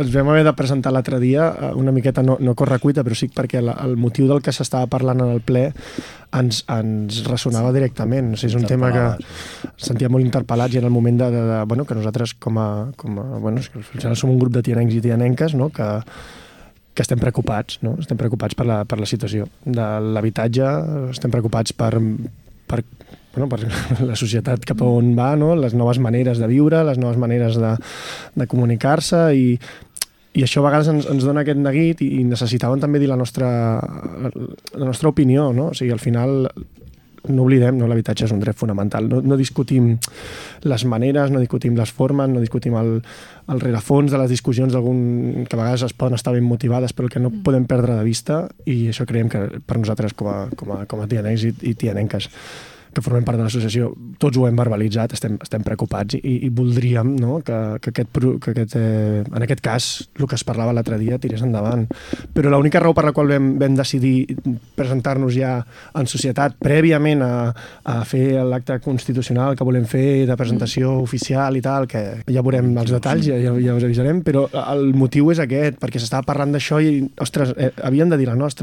ens vam haver de presentar l'altre dia una miqueta, no correcuita, però sí perquè el motiu del que s'estava parlant en el ple ens ressonava directament. O sigui, és un tema que ens sentia molt interpel·lats i en el moment bueno, que nosaltres bueno, som un grup de tianencs i tianenques, no? que estem preocupats, no? Estem preocupats per la situació de l'habitatge, estem preocupats per la societat cap on va, no? Les noves maneres de viure, les noves maneres de comunicar-se i això a vegades ens dona aquest neguit i necessitàvem també dir la nostra opinió, no? O sigui, al final no oblidem, no? L'habitatge és un dret fonamental. No discutim les maneres, no discutim les formes, no discutim el rerefons de les discussions que a vegades es poden estar ben motivades, però el que no podem perdre de vista, i això creiem que per nosaltres com a tianencs i tianenques que formem part de l'associació, tots ho hem verbalitzat, estem preocupats i voldríem, no? que en aquest cas, el que es parlava l'altre dia, tirés endavant. Però l'única raó per la qual vam decidir presentar-nos ja en societat prèviament a fer l'acte constitucional que volem fer de presentació oficial i tal, que ja veurem els detalls, ja us avisarem, però el motiu és aquest, perquè s'estava parlant d'això i, ostres, havíem de dir la nostra.